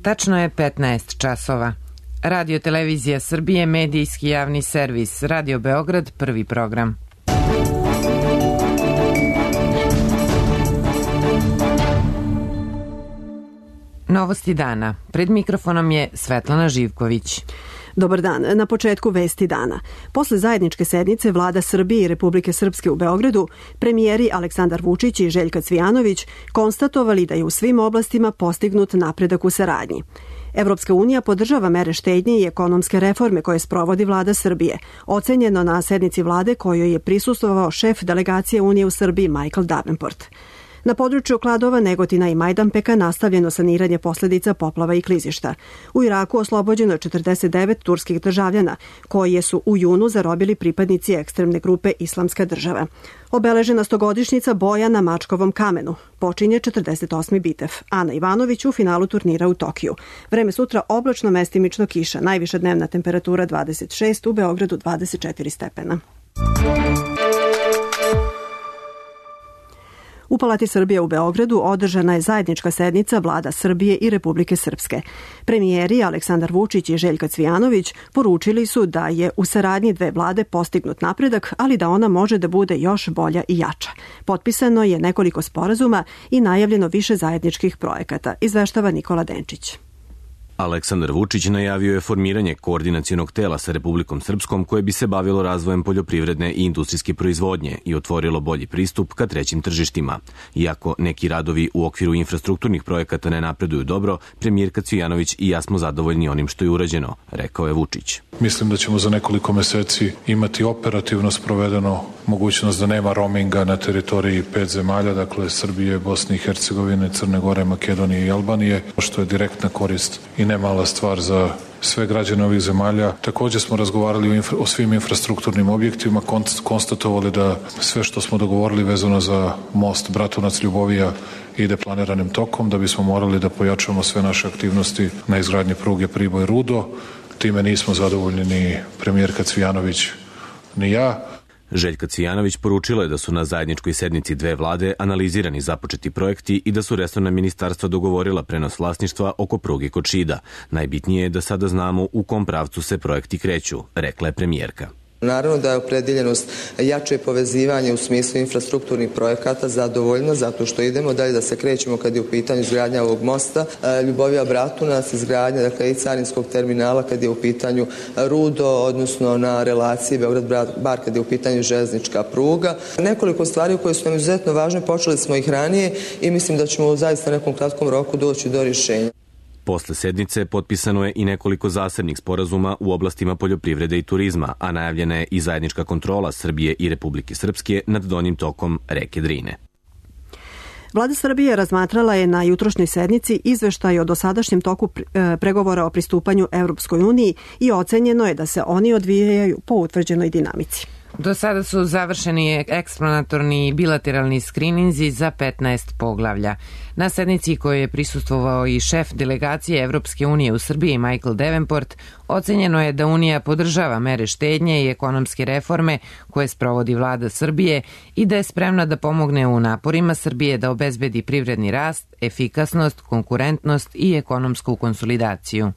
Tačno je 15 časova. Radio Televizija Srbije, medijski javni servis, Radio Beograd, prvi program. Novosti dana. Pred mikrofonom je Svetlana Živković. Dobar dan. Na početku vesti dana. Posle zajedničke sednice Vlada Srbije i Republike Srpske u Beogradu, premijeri Aleksandar Vučić i Željka Cvijanović konstatovali da je u svim oblastima postignut napredak u saradnji. Evropska unija podržava mere štednje i ekonomske reforme koje sprovodi Vlada Srbije, ocenjeno na sednici vlade kojoj je prisustvovao šef delegacije Unije u Srbiji Michael Davenport. Na području Kladova, Negotina i Majdanpeka nastavljeno saniranje posljedica poplava i klizišta. U Iraku oslobođeno je 49 turskih državljana, koje su u junu zarobili pripadnici ekstremne grupe Islamska država. Obeležena 100-godišnjica boja na Mačkovom kamenu. Počinje 48. bitev. Ana Ivanović u finalu turnira u Tokiju. Vreme sutra oblačno, mestimično kiša. Najviša dnevna temperatura 26, u Beogradu 24 stepena. U Palati Srbije u Beogradu održana je zajednička sednica Vlada Srbije i Republike Srpske. Premijeri Aleksandar Vučić i Željka Cvijanović poručili su da je u saradnji dve vlade postignut napredak, ali da ona može da bude još bolja i jača. Potpisano je nekoliko sporazuma i najavljeno više zajedničkih projekata, izveštava Nikola Denčić. Aleksandar Vučić najavio je formiranje koordinacionog tela sa Republikom Srpskom koje bi se bavilo razvojem poljoprivredne i industrijske proizvodnje i otvorilo bolji pristup ka trećim tržištima. Iako neki radovi u okviru infrastrukturnih projekata ne napreduju dobro, premijerka Cvijanović i ja smo zadovoljni onim što je urađeno, rekao je Vučić. Mislim da ćemo za nekoliko meseci imati operativno sprovedeno mogućnost da nema roaminga na teritoriji 5 zemalja, dakle Srbije, Bosne i Hercegovine, Crne Gore, Makedonije i Albanije, što je direktna korist i nemala stvar za sve građane ovih zemalja. Također smo razgovarali o svim infrastrukturnim objektima, konstatovali da sve što smo dogovorili vezano za most Bratunac-Ljubovija ide planiranim tokom, da bismo morali da pojačamo sve naše aktivnosti na izgradnji pruge Priboj-Rudo. Time nismo zadovoljni ni premijerka Cvijanović ni ja. Željka Cvijanović poručila je da su na zajedničkoj sednici dve vlade analizirani započeti projekti i da su resorna ministarstva dogovorila prenos vlasništva oko pruge kod Šida. Najbitnije je da sada znamo u kom pravcu se projekti kreću, rekla je premijerka. Naravno da je opredeljenost jače povezivanje u smislu infrastrukturnih projekata zadovoljno, zato što idemo dalje da se krećemo kad je u pitanju izgradnja ovog mosta Ljubovija-Bratunac, izgradnja i carinskog terminala kad je u pitanju Rudo, odnosno na relaciji Beograd-Bar kad je u pitanju železnička pruga. Nekoliko stvari koje su nam izuzetno važne, počeli smo ih ranije i mislim da ćemo u zaista nekom kratkom roku doći do rješenja. Posle sednice potpisano je i nekoliko zasebnih sporazuma u oblastima poljoprivrede i turizma, a najavljena je i zajednička kontrola Srbije i Republike Srpske nad donjim tokom reke Drine. Vlada Srbije razmatrala je na jutrošnjoj sednici izveštaj o dosadašnjem toku pregovora o pristupanju Evropskoj uniji i ocenjeno je da se oni odvijaju po utvrđenoj dinamici. Do sada su završeni eksplanatorni i bilateralni skrininzi za 15 poglavlja. Na sednici kojoj je prisustvovao i šef delegacije Evropske unije u Srbiji Michael Davenport, ocenjeno je da Unija podržava mere štednje i ekonomske reforme koje sprovodi Vlada Srbije i da je spremna da pomogne u naporima Srbije da obezbedi privredni rast, efikasnost, konkurentnost i ekonomsku konsolidaciju.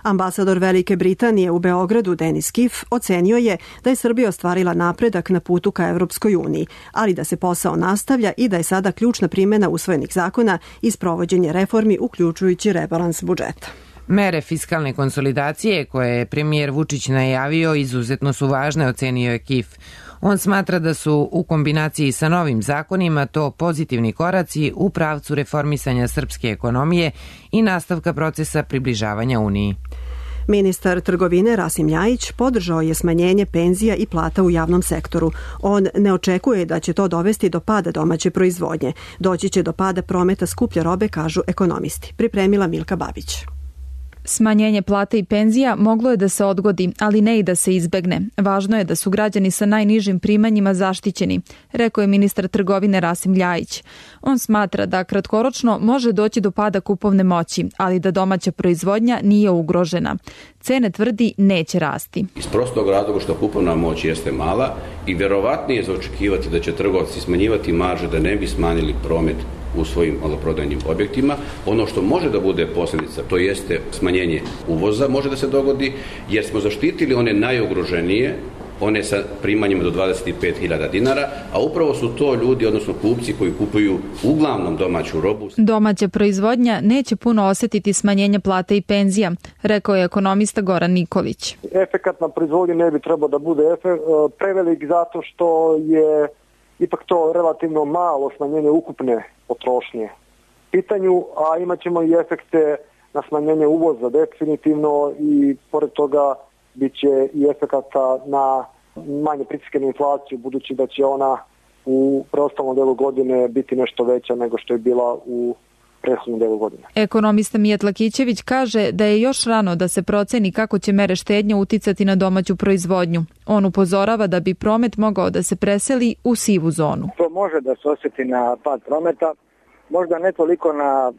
Ambasador Velike Britanije u Beogradu Denis Kif ocenio je da je Srbija ostvarila napredak na putu ka Evropskoj uniji, ali da se posao nastavlja i da je sada ključna primjena usvojenih zakona i sprovođenje reformi uključujući rebalans budžeta. Mere fiskalne konsolidacije koje je premijer Vučić najavio izuzetno su važne, ocenio je Kif. On smatra da su u kombinaciji sa novim zakonima to pozitivni koraci u pravcu reformisanja srpske ekonomije i nastavka procesa približavanja Uniji. Ministar trgovine Rasim Ljajić podržao je smanjenje penzija i plata u javnom sektoru. On ne očekuje da će to dovesti do pada domaće proizvodnje. Doći će do pada prometa skuplje robe, kažu ekonomisti. Pripremila Milka Babić. Smanjenje plata i penzija moglo je da se odgodi, ali ne i da se izbegne. Važno je da su građani sa najnižim primanjima zaštićeni, rekao je ministar trgovine Rasim Ljajić. On smatra da kratkoročno može doći do pada kupovne moći, ali da domaća proizvodnja nije ugrožena. Cene, tvrdi, neće rasti. Iz prostog razloga što kupovna moć jeste mala i verovatnije je za očekivati da će trgovci smanjivati marže da ne bi smanjili promet u svojim maloprodajnim objektima. Ono što može da bude posljedica, to jeste smanjenje uvoza, može da se dogodi, jer smo zaštitili one najugroženije, one sa primanjima do 25.000 dinara, a upravo su to ljudi, odnosno kupci koji kupuju uglavnom domaću robu. Domaća proizvodnja neće puno osjetiti smanjenje plata i penzija, rekao je ekonomista Goran Nikolić. Efekat na proizvodnji ne bi trebao da bude prevelik zato što je ipak to relativno malo smanjenje ukupne potrošnje pitanju, a imat ćemo i efekte na smanjenje uvoza definitivno i pored toga bit će i efekata na manje pritiske na inflaciju, budući da će ona u preostalom delu godine biti nešto veća nego što je bila u prethodnom delu godine. Ekonomista Mijat Lakićević kaže da je još rano da se proceni kako će mere štednje uticati na domaću proizvodnju. On upozorava da bi promet mogao da se preseli u sivu zonu. To može da se osjeti na pad prometa, možda ne toliko na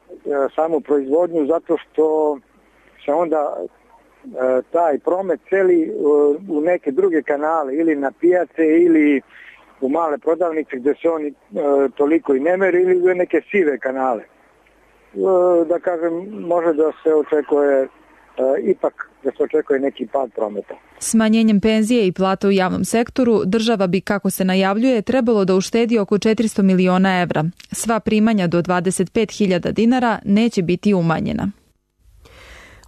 samu proizvodnju, zato što se onda taj promet celi u neke druge kanale, ili na pijace ili u male prodavnice gdje se oni toliko i ne meri, ili u neke sive kanale. Da kažem, može da se očekuje ipak da se očekuje neki pad prometa. Smanjenjem penzije i plata u javnom sektoru država bi, kako se najavljuje, trebalo da uštedi oko 400 miliona evra. Sva primanja do 25.000 dinara neće biti umanjena.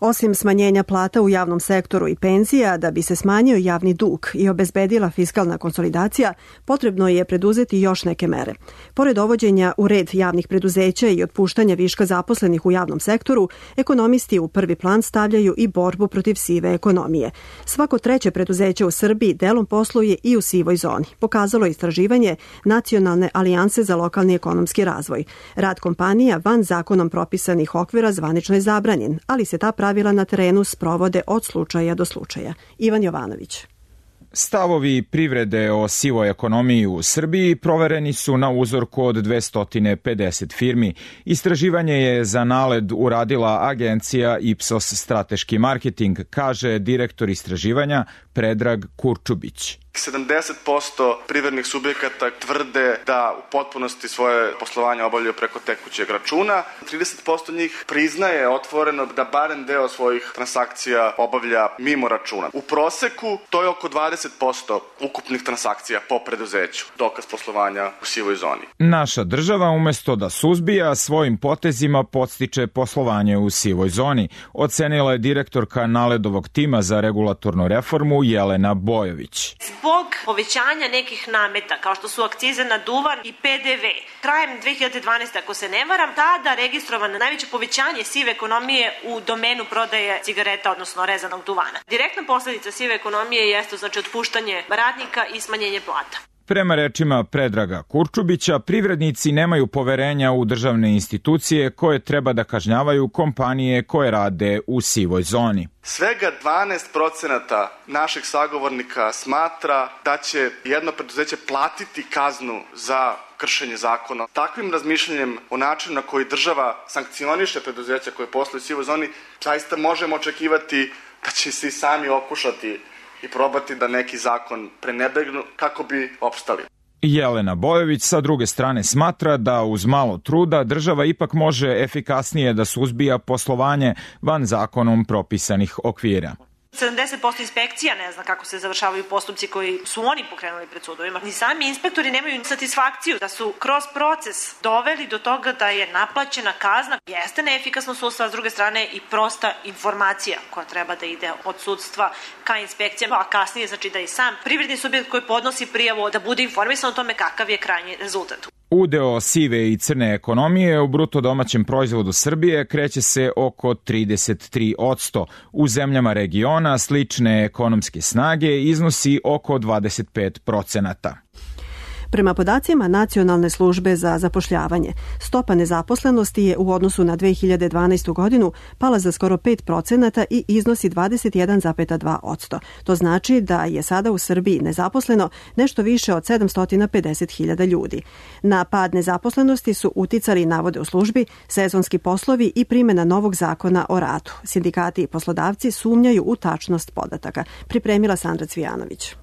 Osim smanjenja plata u javnom sektoru i penzija, da bi se smanjio javni dug i obezbedila fiskalna konsolidacija, potrebno je preduzeti još neke mere. Pored dovođenja u red javnih preduzeća i otpuštanja viška zaposlenih u javnom sektoru, ekonomisti u prvi plan stavljaju i borbu protiv sive ekonomije. Svako treće preduzeće u Srbiji delom posluje i u sivoj zoni, pokazalo istraživanje Nacionalne alijanse za lokalni ekonomski razvoj. Rad kompanija van zakonom propisanih okvira zvanično je zabranjen, ali se ta pravila na terenu sprovode od slučaja do slučaja. Ivan Jovanović. Stavovi privrede o sivoj ekonomiji u Srbiji provereni su na uzorku od 250 firmi. Istraživanje je za NALED uradila agencija Ipsos Strateški marketing, kaže direktor istraživanja Predrag Kurčubić. 70% privrednih subjekata tvrde da u potpunosti svoje poslovanje obavljaju preko tekućeg računa. 30% njih priznaje otvoreno da barem deo svojih transakcija obavlja mimo računa. U proseku to je oko 20% ukupnih transakcija po preduzeću, dokaz poslovanja u sivoj zoni. Naša država umesto da suzbija, svojim potezima podstiče poslovanje u sivoj zoni, ocenila je direktorka NALED-ovog tima za regulatornu reformu Jelena Bojović. Zbog povećanja nekih nameta, kao što su akcize na duvan i PDV, krajem 2012. ako se ne varam, tada registrovano najveće povećanje sive ekonomije u domenu prodaje cigareta, odnosno rezanog duvana. Direktna posljedica sive ekonomije jeste znači otpuštanje radnika i smanjenje plata. Prema rečima Predraga Kurčubića, privrednici nemaju poverenja u državne institucije koje treba da kažnjavaju kompanije koje rade u sivoj zoni. Svega 12% naših sagovornika smatra da će jedno preduzeće platiti kaznu za kršenje zakona. Takvim razmišljanjem o načinu na koji država sankcioniše preduzeća koje posluju u sivoj zoni, zaista možemo očekivati da će se i sami okušati i probati da neki zakon prenebregnu kako bi opstali. Jelena Bojović sa druge strane smatra da uz malo truda država ipak može efikasnije da suzbija poslovanje van zakonom propisanih okvira. 70% inspekcija ne zna kako se završavaju postupci koji su oni pokrenuli pred sudovima. Ni sami inspektori nemaju satisfakciju da su kroz proces doveli do toga da je naplaćena kazna. Jeste neefikasno sudstva, s druge strane i prosta informacija koja treba da ide od sudstva ka inspekcijama, a kasnije znači da i sam privredni subjekt koji podnosi prijavu da bude informisan o tome kakav je krajnji rezultat. Udeo sive i crne ekonomije u bruto domaćem proizvodu Srbije kreće se oko 33%. U zemljama regiona slične ekonomske snage iznosi oko 25%. Prema podacima Nacionalne službe za zapošljavanje, stopa nezaposlenosti je u odnosu na 2012. godinu pala za skoro 5% i iznosi 21,2%. To znači da je sada u Srbiji nezaposleno nešto više od 750.000 ljudi. Na pad nezaposlenosti su uticali, navode u službi, sezonski poslovi i primjena novog zakona o radu. Sindikati i poslodavci sumnjaju u tačnost podataka. Pripremila Sandra Cvijanović.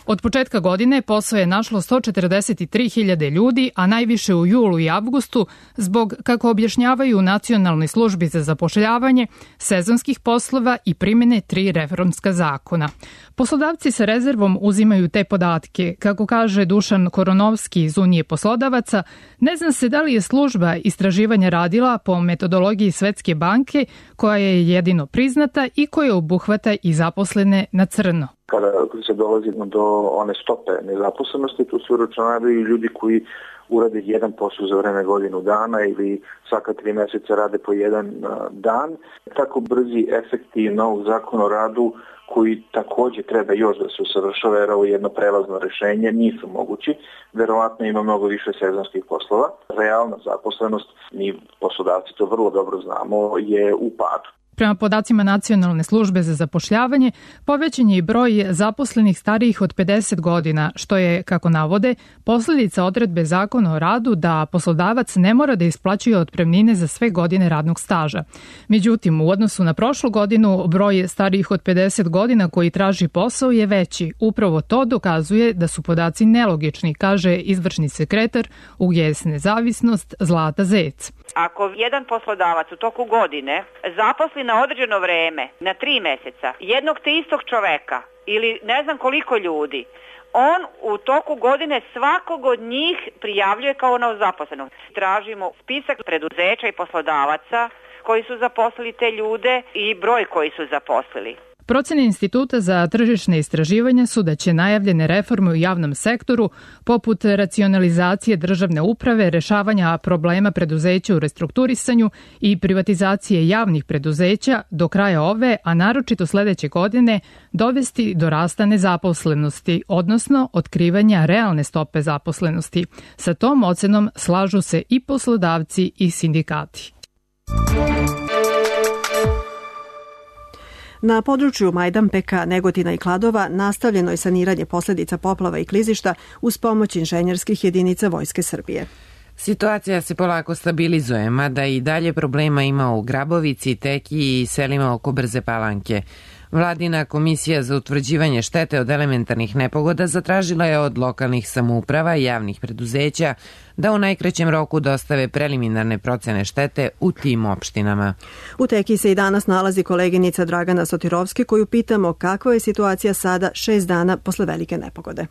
Od početka godine posao je našlo 143.000 ljudi, a najviše u julu i avgustu zbog, kako objašnjavaju u Nacionalnoj službi za zapošljavanje, sezonskih poslova i primjene 3 reformska zakona. Poslodavci sa rezervom uzimaju te podatke. Kako kaže Dušan Koronovski iz Unije poslodavaca, ne zna se da li je služba istraživanja radila po metodologiji Svetske banke, koja je jedino priznata i koja obuhvata i zaposlene na crno. Kada se dolazi do one stope nezaposlenosti, tu se uračunavaju ljudi koji urade jedan posao za vreme godinu dana ili svaka 3 meseca rade po jedan dan. Tako brzi efekti novog zakona o radu, koji takođe treba još da se usavršava, jer ovo je jedno prelazno rešenje, nisu mogući. Verovatno ima mnogo više sezonskih poslova. Realna zaposlenost, mi poslodavci to vrlo dobro znamo, je u padu. Prema podacima Nacionalne službe za zapošljavanje, povećan je i broj zaposlenih starijih od 50 godina, što je, kako navode, posljedica odredbe Zakona o radu da poslodavac ne mora da isplaćuje otpremnine za sve godine radnog staža. Međutim, u odnosu na prošlu godinu, broj starijih od 50 godina koji traži posao je veći. Upravo to dokazuje da su podaci nelogični, kaže izvršni sekretar UGS Nezavisnost Zlata Zec. Ako jedan poslodavac u toku godine zaposli na određeno vreme, na 3 meseca, jednog te istog čoveka ili ne znam koliko ljudi, on u toku godine svakog od njih prijavljuje kao novozaposlenog. Tražimo spisak preduzeća i poslodavaca koji su zaposlili te ljude i broj koji su zaposlili. Procene Instituta za tržišne istraživanja su da će najavljene reforme u javnom sektoru, poput racionalizacije državne uprave, rešavanja problema preduzeća u restrukturisanju i privatizacije javnih preduzeća do kraja ove, a naročito sledeće godine, dovesti do rasta nezaposlenosti, odnosno otkrivanja realne stope zaposlenosti. Sa tom ocenom slažu se i poslodavci i sindikati. Na području Majdanpeka, Negotina i Kladova nastavljeno je saniranje posljedica poplava i klizišta uz pomoć inženjerskih jedinica Vojske Srbije. Situacija se polako stabilizuje, mada i dalje problema ima u Grabovici, Tekiji i selima oko Brze Palanke. Vladina komisija za utvrđivanje štete od elementarnih nepogoda zatražila je od lokalnih samouprava i javnih preduzeća da u najkraćem roku dostave preliminarne procene štete u tim opštinama. U Tekiji se i danas nalazi koleginica Dragana Sotirovski, koju pitamo kakva je situacija sada 6 dana posle velike nepogode.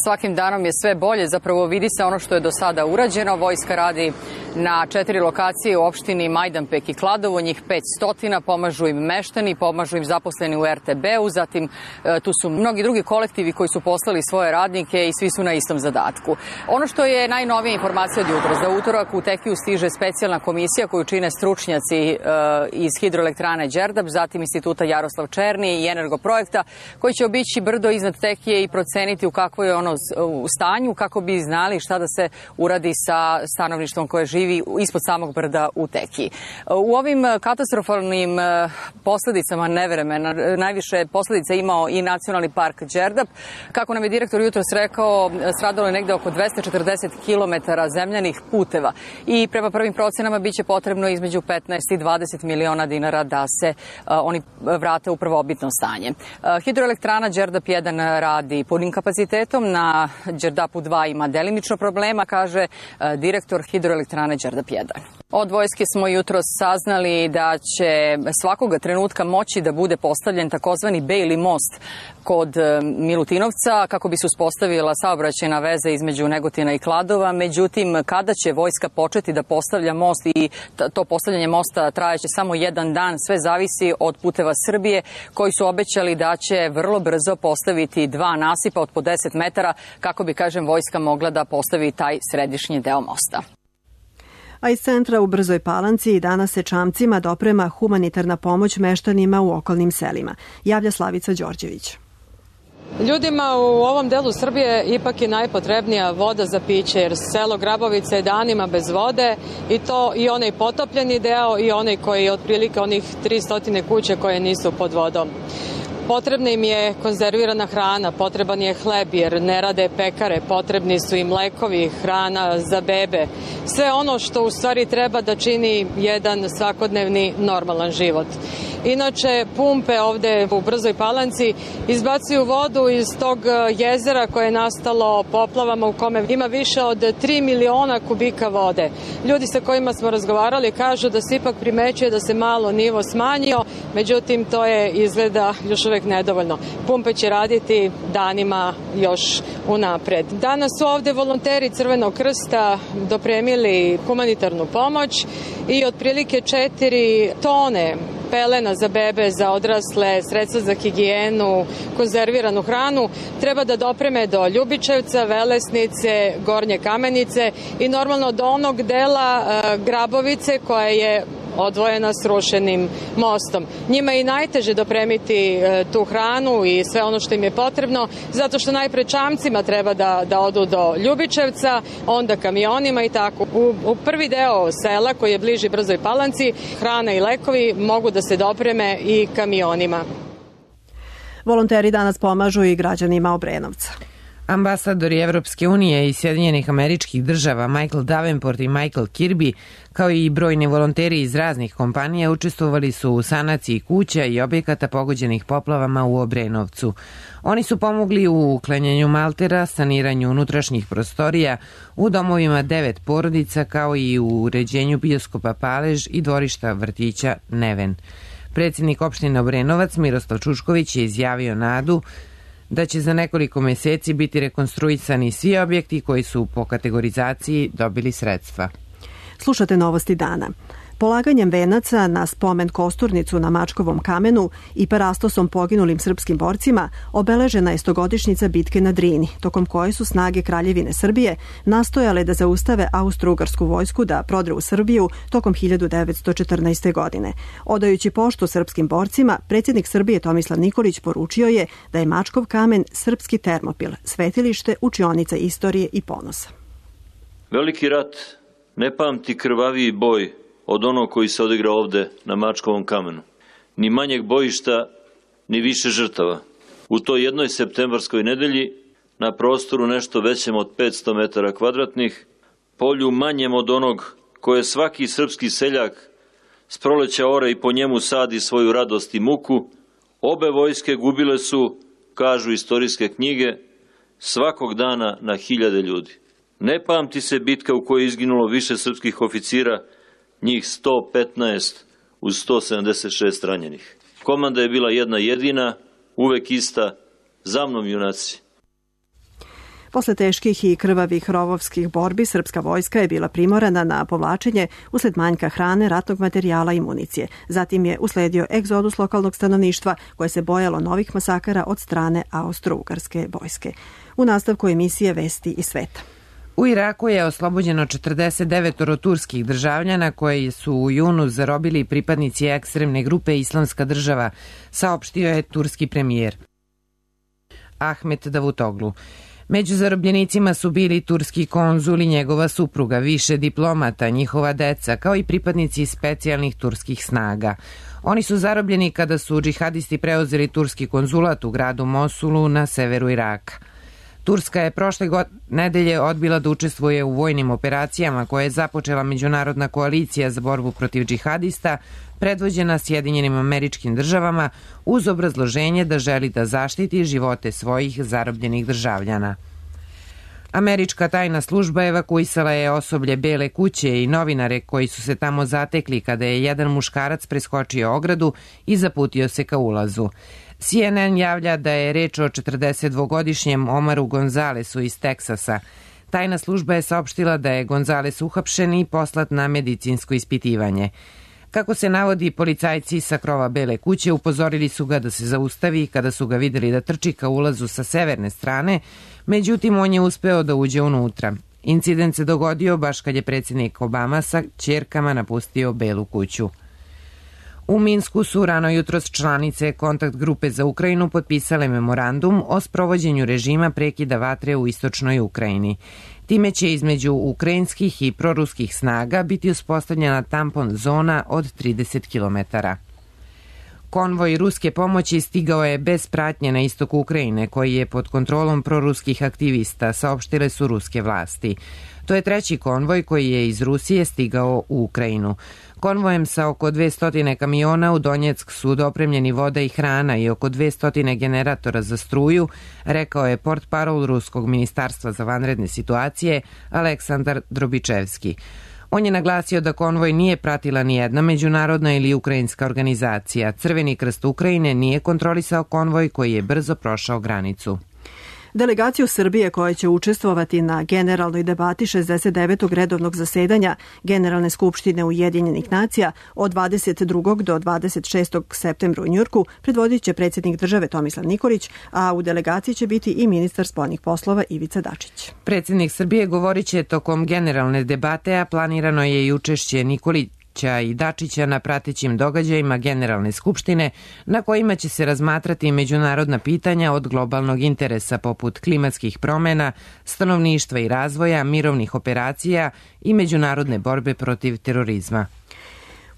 Svakim danom je sve bolje, zapravo vidi se ono što je do sada urađeno. Vojska radi na 4 lokacije u opštini Majdanpek i Kladovo, njih 500, pomažu im meštani, pomažu im zaposleni u RTB-u, zatim tu su mnogi drugi kolektivi koji su poslali svoje radnike i svi su na istom zadatku. Ono što je najnovija informacija od jutra, za utorak u Tekiju stiže specijalna komisija koju čine stručnjaci iz hidroelektrane Đerdap, zatim Instituta Jaroslav Černi i Energoprojekta, koji će obići brdo iznad Tekije i proceniti u kakvo je ono u stanju, kako bi znali šta da se uradi sa stanovništvom koje živi ispod samog brda u Tekiji. U ovim katastrofalnim posljedicama nevremena najviše posljedica imao i Nacionalni park Đerdap. Kako nam je direktor jutros rekao, stradalo je negde oko 240 km zemljanih puteva i prema prvim procenama biće potrebno između 15 i 20 miliona dinara da se oni vrate u prvobitno stanje. Hidroelektrana Đerdap 1 radi punim kapacitetom, na Đerdapu 2 ima delimično problema, kaže direktor hidroelektrane Đerdap 1. Od vojske smo jutros saznali da će svakoga trenutka moći da bude postavljen takozvani Bejli most kod Milutinovca kako bi se uspostavila saobraćajna veza između Negotina i Kladova. Međutim, kada će vojska početi da postavlja most i to postavljanje mosta trajaće samo 1 dan, sve zavisi od Puteva Srbije koji su obećali da će vrlo brzo postaviti 2 nasipa od po 10 metara kako bi, kažem, vojska mogla da postavi taj središnji deo mosta. A iz centra u Brzoj Palanci danas se čamcima doprema humanitarna pomoć meštanima u okolnim selima. Javlja Slavica Đorđević. Ljudima u ovom delu Srbije ipak je najpotrebnija voda za piće, jer selo Grabovica je danima bez vode i to i onaj potopljeni deo i onaj koji je otprilike onih 300 kuće koje nisu pod vodom. Potrebna im je konzervirana hrana, potreban je hleb jer ne rade pekare, potrebni su im lekovi, hrana za bebe. Sve ono što u stvari treba da čini jedan svakodnevni normalan život. Inače, pumpe ovde u Brzoj Palanci izbacuju vodu iz tog jezera koje je nastalo poplavama u kome ima više od 3 miliona kubika vode. Ljudi sa kojima smo razgovarali kažu da se ipak primećuje da se malo nivo smanjio, međutim to je izgleda još uvek nedovoljno. Pumpe će raditi danima još unapred. Danas su ovde volonteri Crvenog krsta dopremili humanitarnu pomoć i otprilike 4 tone pelena za bebe, za odrasle, sredstva za higijenu, konzerviranu hranu treba da dopreme do Ljubičevca, Velesnice, Gornje Kamenice i normalno do onog dela Grabovice koja je odvojena srušenim mostom. Njima je i najteže dopremiti tu hranu i sve ono što im je potrebno, zato što najpre čamcima treba da odu do Ljubičevca, onda kamionima i tako. U prvi deo sela koji je bliži Brzoj Palanci, hrana i lekovi mogu da se dopreme i kamionima. Volonteri danas pomažu i građanima Obrenovca. Ambasadori Evropske unije i Sjedinjenih Američkih Država Michael Davenport i Michael Kirby, kao i brojni volonteri iz raznih kompanija, učestvovali su u sanaciji kuća i objekata pogođenih poplavama u Obrenovcu. Oni su pomogli u uklanjanju maltera, saniranju unutrašnjih prostorija, u domovima 9 porodica, kao i u uređenju bioskopa Palež i dvorišta vrtića Neven. Predsjednik opštine Obrenovac Miroslav Čučković je izjavio nadu da će za nekoliko meseci biti rekonstruisani svi objekti koji su po kategorizaciji dobili sredstva. Slušate Novosti dana. Polaganjem venaca na spomen kosturnicu na Mačkovom kamenu i parastosom poginulim srpskim borcima obeležena je 100-godišnjica bitke na Drini, tokom koje su snage Kraljevine Srbije nastojale da zaustave austro-ugarsku vojsku da prodre u Srbiju tokom 1914. godine. Odajući poštu srpskim borcima, predsjednik Srbije Tomislav Nikolić poručio je da je Mačkov kamen srpski Termopil, svetilište, učionica istorije i ponosa. Veliki rat ne pamti krvaviji boj od onog koji se odigra ovde na Mačkovom kamenu. Ni manjeg bojišta, ni više žrtava. U toj jednoj septembarskoj nedelji, na prostoru nešto većem od 500 metara kvadratnih, polju manjem od onog koje svaki srpski seljak s proleća ore i po njemu sadi svoju radost i muku, obe vojske gubile su, kažu istorijske knjige, svakog dana na 1000 ljudi. Ne pamti se bitka u kojoj je izginulo više srpskih oficira, njih 115 uz 176 ranjenih. Komanda je bila jedna jedina, uvek ista, za mnom junaci. Posle teških i krvavih rovovskih borbi, srpska vojska je bila primorana na povlačenje usled manjka hrane, ratnog materijala i municije. Zatim je usledio egzodus lokalnog stanovništva koje se bojalo novih masakara od strane austro-ugarske vojske. U nastavku emisije Vesti iz sveta. U Iraku je oslobođeno 49 turskih državljana koje su u junu zarobili pripadnici ekstremne grupe Islamska država, saopštio je turski premijer Ahmet Davutoglu. Među zarobljenicima su bili turski konzul i njegova supruga, više diplomata, njihova deca, kao i pripadnici specijalnih turskih snaga. Oni su zarobljeni kada su džihadisti preuzeli turski konzulat u gradu Mosulu na severu Iraka. Turska je prošle nedelje odbila da učestvuje u vojnim operacijama koje je započela Međunarodna koalicija za borbu protiv džihadista, predvođena Sjedinjenim Američkim Državama, uz obrazloženje da želi da zaštiti živote svojih zarobljenih državljana. Američka tajna služba evakuisala je osoblje Bele kuće i novinare koji su se tamo zatekli kada je jedan muškarac preskočio ogradu i zaputio se ka ulazu. CNN javlja da je reč o 42-godišnjem Omaru Gonzalesu iz Teksasa. Tajna služba je saopštila da je Gonzales uhapšen i poslat na medicinsko ispitivanje. Kako se navodi, policajci sa krova Bele kuće upozorili su ga da se zaustavi kada su ga videli da trči ka ulazu sa severne strane, međutim on je uspeo da uđe unutra. Incident se dogodio baš kad je predsjednik Obama sa ćerkama napustio Belu kuću. U Minsku su rano jutros članice kontakt grupe za Ukrajinu potpisale memorandum o sprovođenju režima prekida vatre u istočnoj Ukrajini. Time će između ukrajinskih i proruskih snaga biti uspostavljena tampon zona od 30 km. Konvoj ruske pomoći stigao je bez pratnje na istok Ukrajine, koji je pod kontrolom proruskih aktivista, saopštile su ruske vlasti. To je treći konvoj koji je iz Rusije stigao u Ukrajinu. Konvojem sa oko 200 kamiona u Donjeck su dopremljeni voda i hrana i oko 200 generatora za struju, rekao je portparol Ruskog ministarstva za vanredne situacije Aleksandar Drobičevski. On je naglasio da konvoj nije pratila ni jedna međunarodna ili ukrajinska organizacija. Crveni krst Ukrajine nije kontrolisao konvoj koji je brzo prošao granicu. Delegaciju Srbije koja će učestvovati na generalnoj debati 69. redovnog zasedanja Generalne skupštine Ujedinjenih nacija od 22. do 26. septembra u Njujorku predvodit će predsjednik države Tomislav Nikolić, a u delegaciji će biti i ministar spoljnih poslova Ivica Dačić. Predsjednik Srbije govorit će tokom generalne debate, a planirano je i učešće Nikolića i Dačića na pratećim događajima Generalne skupštine na kojima će se razmatrati međunarodna pitanja od globalnog interesa poput klimatskih promjena, stanovništva i razvoja, mirovnih operacija i međunarodne borbe protiv terorizma.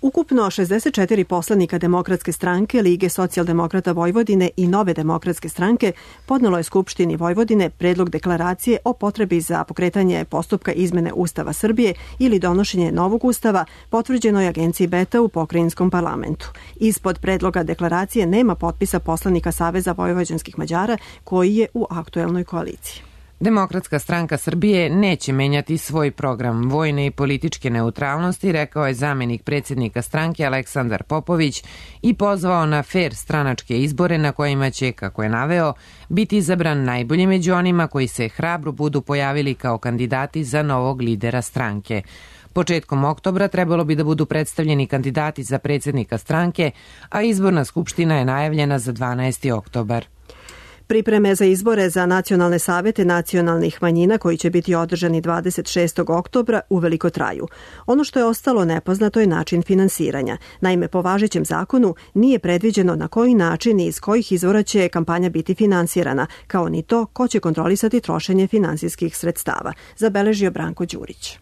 Ukupno 64 poslanika Demokratske stranke, Lige socijaldemokrata Vojvodine i Nove demokratske stranke podnelo je Skupštini Vojvodine predlog deklaracije o potrebi za pokretanje postupka izmene Ustava Srbije ili donošenje novog ustava potvrđenoj agenciji Beta u pokrajinskom parlamentu. Ispod predloga deklaracije nema potpisa poslanika Saveza vojvođanskih Mađara koji je u aktuelnoj koaliciji. Demokratska stranka Srbije neće menjati svoj program vojne i političke neutralnosti, rekao je zamenik predsjednika stranke Aleksandar Popović i pozvao na fer stranačke izbore na kojima će, kako je naveo, biti izabran najbolji među onima koji se hrabro budu pojavili kao kandidati za novog lidera stranke. Početkom oktobra trebalo bi da budu predstavljeni kandidati za predsjednika stranke, a izborna skupština je najavljena za 12. oktobar. Pripreme za izbore za nacionalne savete nacionalnih manjina koji će biti održani 26. oktobra uveliko traju. Ono što je ostalo nepoznato je način finansiranja. Naime, po važećem zakonu nije predviđeno na koji način i iz kojih izvora će kampanja biti finansirana, kao ni to ko će kontrolisati trošenje finansijskih sredstava, zabeležio Branko Đurić.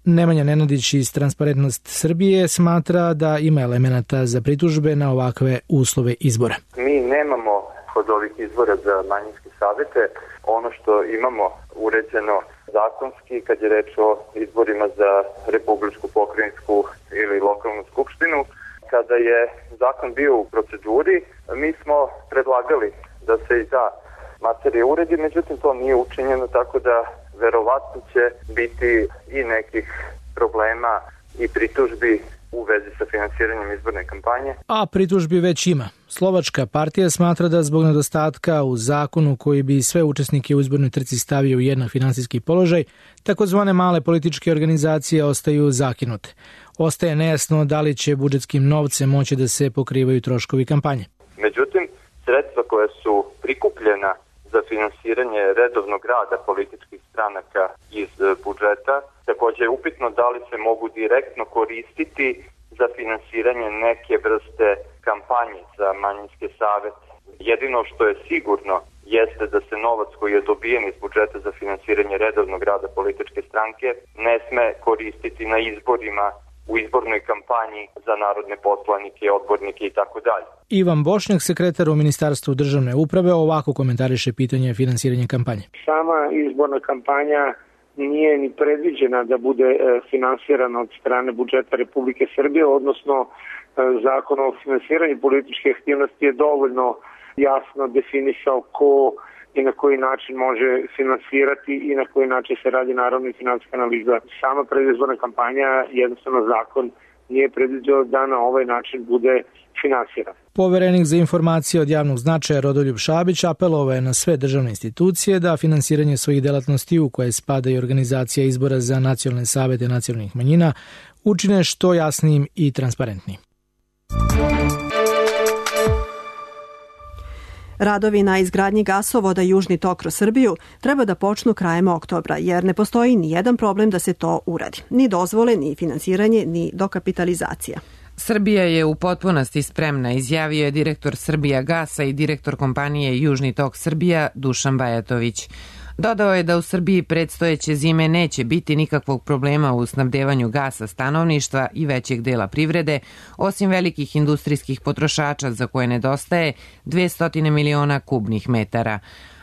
Nemanja Nenadić iz Transparentnost Srbije smatra da ima elemenata za pritužbe na ovakve uslove izbora. Mi nemamo od ovih izbora za manjinske savete ono što imamo uređeno zakonski kad je reč o izborima za republičku, pokrajinsku ili lokalnu skupštinu. Kada je zakon bio u proceduri, mi smo predlagali da se i ta materija uredi, međutim to nije učinjeno, tako da verovatno će biti i nekih problema i pritužbi u vezi sa finansiranjem izborne kampanje. A pritužbi već ima. Slovačka partija smatra da zbog nedostatka u zakonu koji bi sve učesnike u izbornoj trci stavio u jednak finansijski položaj, takozvane male političke organizacije ostaju zakinute. Ostaje nejasno da li će budžetskim novcem moći da se pokrivaju troškovi kampanje. Međutim, sredstva koja su prikupljena za finansiranje redovnog rada političkih stranaka iz budžeta, također je upitno da li se mogu direktno koristiti za finansiranje neke vrste kampanje za manjinske savete. Jedino što je sigurno jeste da se novac koji je dobijen iz budžeta za finansiranje redovnog rada političke stranke ne sme koristiti na izborima, u izbornoj kampanji za narodne poslanike, odbornike i tako dalje. Ivan Bošnjak, sekretar u Ministarstvu državne uprave, ovako komentariše pitanje finansiranja kampanje. Sama izborna kampanja nije ni predviđena da bude finansirana od strane budžeta Republike Srbije, odnosno Zakon o finansiranju političke aktivnosti je dovoljno jasno definisao ko i na koji način može finansirati i na koji način se radi naravno i finansijska analiza. Sama predizborna kampanja, jednostavno zakon nije predviđao da na ovaj način bude finansirana. Poverenik za informacije od javnog značaja Rodoljub Šabić apelovao je na sve državne institucije da finansiranje svojih delatnosti u koje spada i organizacija izbora za nacionalne savete nacionalnih manjina učine što jasnijim i transparentnijim. Radovi na izgradnji gasovoda Južni tok kroz Srbiju treba da počnu krajem oktobra, jer ne postoji ni jedan problem da se to uradi. Ni dozvole, ni finansiranje, ni dokapitalizacija. Srbija je u potpunosti spremna, izjavio je direktor Srbijagasa i direktor kompanije Južni tok Srbija Dušan Bajatović. Dodao je da u Srbiji predstojeće zime neće biti nikakvog problema u snabdevanju gasa stanovništva i većeg dela privrede, osim velikih industrijskih potrošača za koje nedostaje 200 miliona kubnih metara.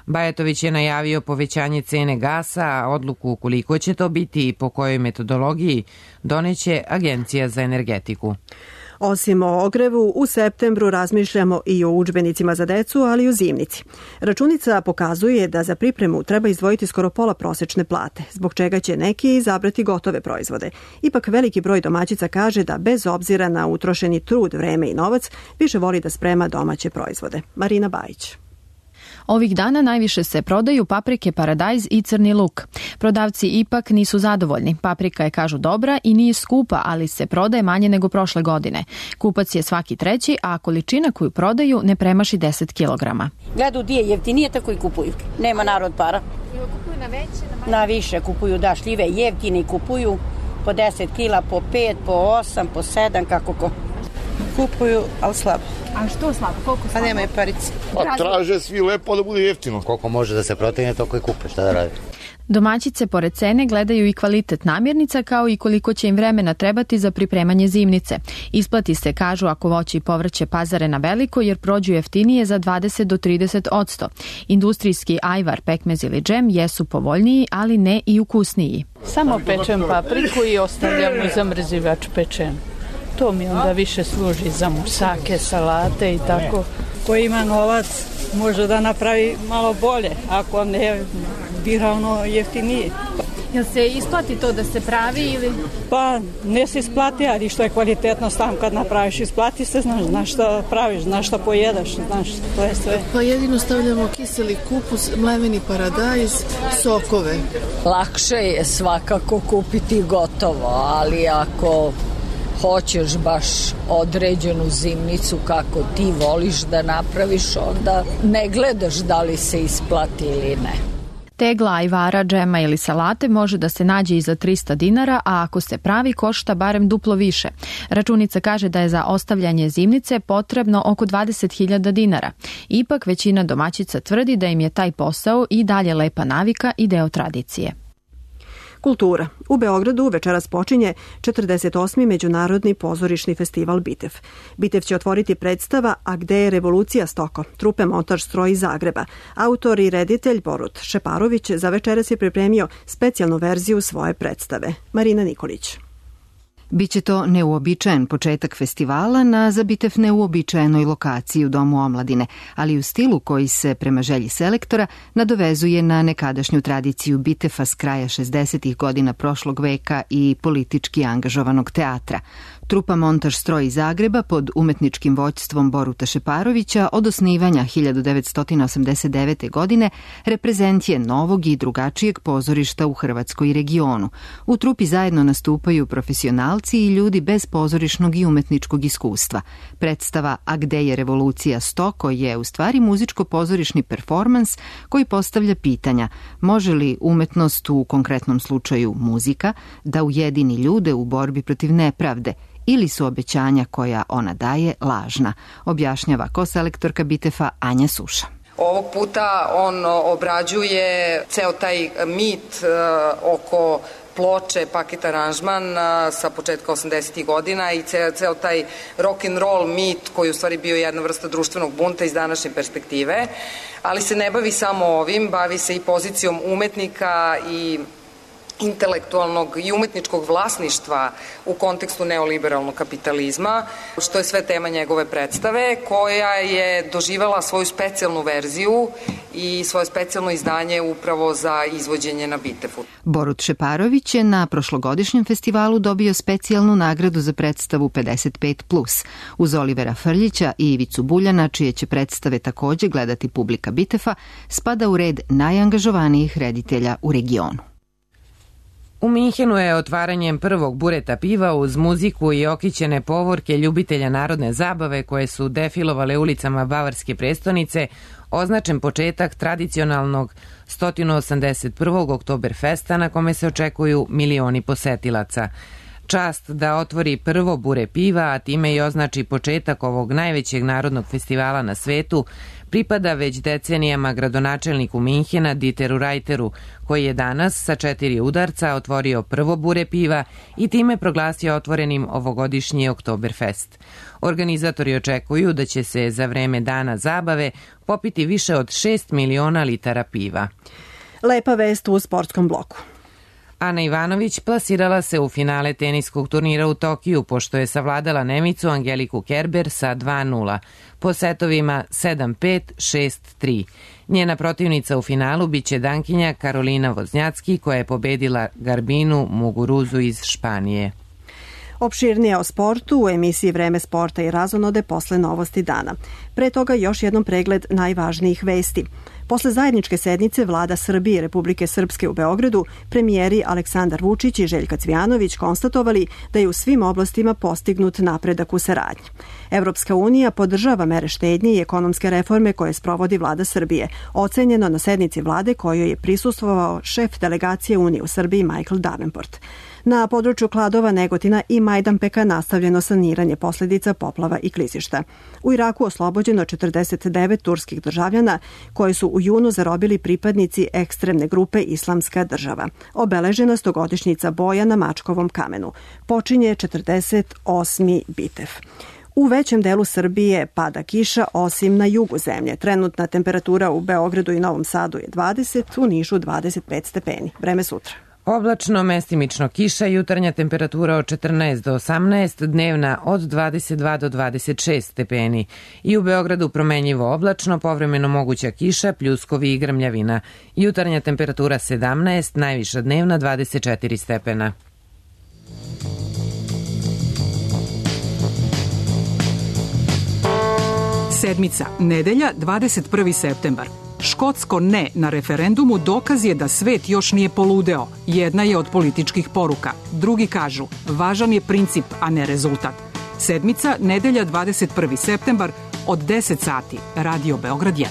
Bajatović je najavio povećanje cene gasa, a odluku koliko će to biti i po kojoj metodologiji doneće Agencija za energetiku. Osim o ogrevu, u septembru razmišljamo i o udžbenicima za decu, ali i o zimnici. Računica pokazuje da za pripremu treba izdvojiti skoro pola prosečne plate, zbog čega će neki izabrati gotove proizvode. Ipak veliki broj domaćica kaže da bez obzira na utrošeni trud, vreme i novac, više voli da sprema domaće proizvode. Marina Bajić. Ovih dana najviše se prodaju paprike paradajz i crni luk. Prodavci ipak nisu zadovoljni. Paprika je, kažu, dobra i nije skupa, ali se prodaje manje nego prošle godine. Kupac je svaki treći, a količina koju prodaju ne premaši 10 kilograma. Gledaju gdje je jeftinije, tako i kupuju. Nema narod para. Kupuju na veće? Na više kupuju, da, šljive jeftine kupuju po 10 kila, po 5, po 8, po 7, kako ko. Kupuju, ali slabo. A što slabo? Koliko slabo? Pa nemaju parice. Pa traže svi lepo da bude jeftino. Koliko može da se protegne, toliko i kupe. Šta da radi? Domaćice pored cene gledaju i kvalitet namirnica, kao i koliko će im vremena trebati za pripremanje zimnice. Isplati se, kažu, ako voće i povrće pazare na veliko, jer prođu jeftinije za 20 do 30%. Industrijski ajvar, pekmez ili džem jesu povoljniji, ali ne i ukusniji. Samo pečem papriku i ostavljam u zamrzivač pečen. To mi onda više služi za musake, salate i tako. Ko ima novac može da napravi malo bolje, ako ne bira ono jeftinije. Jel se isplati to da se pravi ili? Pa ne se isplati, ali što je kvalitetno sam kad napraviš, isplati se, znaš šta praviš, znaš šta pojedaš, znaš, to je sve. Pa jedino stavljamo kiseli kupus, mleveni paradajz, sokove. Lakše je svakako kupiti gotovo, ali ako hoćeš baš određenu zimnicu kako ti voliš da napraviš, onda ne gledaš da li se isplati ili ne. Tegla ajvara, džema ili salate može da se nađe i za 300 dinara, a ako se pravi košta barem duplo više. Računica kaže da je za ostavljanje zimnice potrebno oko 20.000 dinara. Ipak većina domaćica tvrdi da im je taj posao i dalje lepa navika i deo tradicije. Kultura. U Beogradu večeras počinje 48. Međunarodni pozorišni festival Bitev. Bitev će otvoriti predstava A gde je revolucija stoko, trupe Montaž stroj iz Zagreba. Autor i reditelj Borut Šeparović za večeras je pripremio specijalnu verziju svoje predstave. Marina Nikolić. Biće to neuobičajen početak festivala na za Bitev neuobičajenoj lokaciji u Domu omladine, ali u stilu koji se, prema želji selektora, nadovezuje na nekadašnju tradiciju Bitefa s kraja 60. godina prošlog veka i politički angažovanog teatra. Trupa Montaž stroj iz Zagreba pod umetničkim vođstvom Boruta Šeparovića od osnivanja 1989. godine reprezent je novog i drugačijeg pozorišta u Hrvatskoj i regionu. U trupi zajedno nastupaju profesionalci i ljudi bez pozorišnog i umetničkog iskustva. Predstava A gde je revolucija stoko je u stvari muzičko-pozorišni performans koji postavlja pitanja: može li umetnost, u konkretnom slučaju muzika, da ujedini ljude u borbi protiv nepravde, ili su obećanja koja ona daje lažna, objašnjava koselektorka Bitefa Anja Suša. Ovog puta on obrađuje ceo taj mit oko ploče, paket aranžman sa početka 80. godina i ceo taj rock and roll mit koji u stvari bio jedna vrsta društvenog bunta iz današnje perspektive, ali se ne bavi samo ovim, bavi se i pozicijom umetnika i intelektualnog i umetničkog vlasništva u kontekstu neoliberalnog kapitalizma, što je sve tema njegove predstave, koja je doživela svoju specijalnu verziju i svoje specijalno izdanje upravo za izvođenje na Bitefu. Borut Šeparović je na prošlogodišnjem festivalu dobio specijalnu nagradu za predstavu 55+. Uz Olivera Frljića i Ivicu Buljana, čije će predstave takođe gledati publika Bitefa, spada u red najangažovanijih reditelja u regionu. U Minhenu je otvaranjem prvog bureta piva uz muziku i okićene povorke ljubitelja narodne zabave koje su defilovale ulicama bavarske prestonice označen početak tradicionalnog 181. Oktoberfesta na kome se očekuju milioni posetilaca. Čast da otvori prvo bure piva, a time i označi početak ovog najvećeg narodnog festivala na svetu, pripada već decenijama gradonačelniku Minhena Dieteru Reiteru, koji je danas sa 4 udarca otvorio prvo bure piva i time proglasio otvorenim ovogodišnji Oktoberfest. Organizatori očekuju da će se za vreme dana zabave popiti više od 6 miliona litara piva. Lepa vest u sportskom bloku. Ana Ivanović plasirala se u finale teniskog turnira u Tokiju, pošto je savladala Nemicu Angeliku Kerber sa 2-0, po setovima 7-5, 6-3. Njena protivnica u finalu biće Dankinja Karolina Voznjacki, koja je pobedila Garbinu Muguruzu iz Španije. Opširnije o sportu u emisiji Vreme sporta i razonode posle novosti dana. Pre toga još jednom pregled najvažnijih vesti. Posle zajedničke sednice Vlada Srbije i Republike Srpske u Beogradu, premijeri Aleksandar Vučić i Željka Cvijanović konstatovali da je u svim oblastima postignut napredak u saradnji. Evropska unija podržava mere štednje i ekonomske reforme koje sprovodi Vlada Srbije, ocenjeno na sednici vlade kojoj je prisustvovao šef delegacije Unije u Srbiji Michael Davenport. Na području Kladova, Negotina i Majdanpeka nastavljeno saniranje posljedica poplava i klizišta. U Iraku oslobođeno 49 turskih državljana koji su u junu zarobili pripadnici ekstremne grupe Islamska država. Obeležena 100-godišnjica boja na Mačkovom kamenu. Počinje 48. bitev. U većem delu Srbije pada kiša, osim na jugu zemlje. Trenutna temperatura u Beogradu i Novom Sadu je 20, u Nišu 25 stepeni. Vreme sutra. Oblačno, mestimično kiša, jutarnja temperatura od 14 do 18, dnevna od 22 do 26 stepeni. I u Beogradu promenjivo oblačno, povremeno moguća kiša, pljuskovi i grmljavina. Jutarnja temperatura 17, najviša dnevna 24 stepena. Sedmica, nedelja, 21. septembar. Škotsko ne na referendumu dokaz je da svet još nije poludeo. Jedna je od političkih poruka. Drugi kažu, važan je princip, a ne rezultat. Sedmica, nedelja, 21. septembar, od 10 sati, Radio Beograd 1.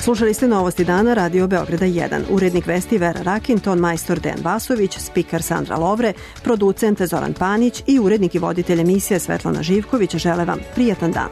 Slušali ste novosti dana Radio Beograda 1. Urednik vesti Vera Rakin, ton majstor Dejan Vasović, spiker Sandra Lovre, producent Zoran Panić i urednik i voditelj emisije Svetlana Živković žele vam prijatan dan.